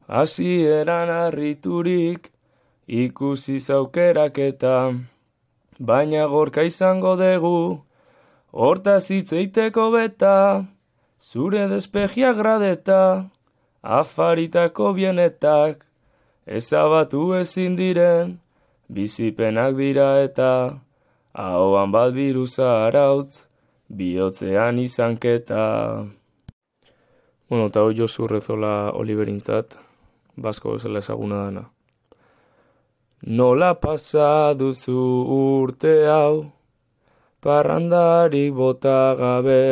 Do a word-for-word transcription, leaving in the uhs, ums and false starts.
Hasieran harriturik ikusi zaukeraketa, baina gorka izango dugu, hortaz hitzeiteko beta, zure despegia gradeta, afaritako bienetak, ezabatu ezin diren, bizipenak dira eta, ahoan bat biruza arautz, bihotzean izanketa. Bueno, eta hoi Josu Rezola Oliverintzat, basko bezala ezaguna dana. Nola pasa duzu urte hau, parrandarik bota gabe,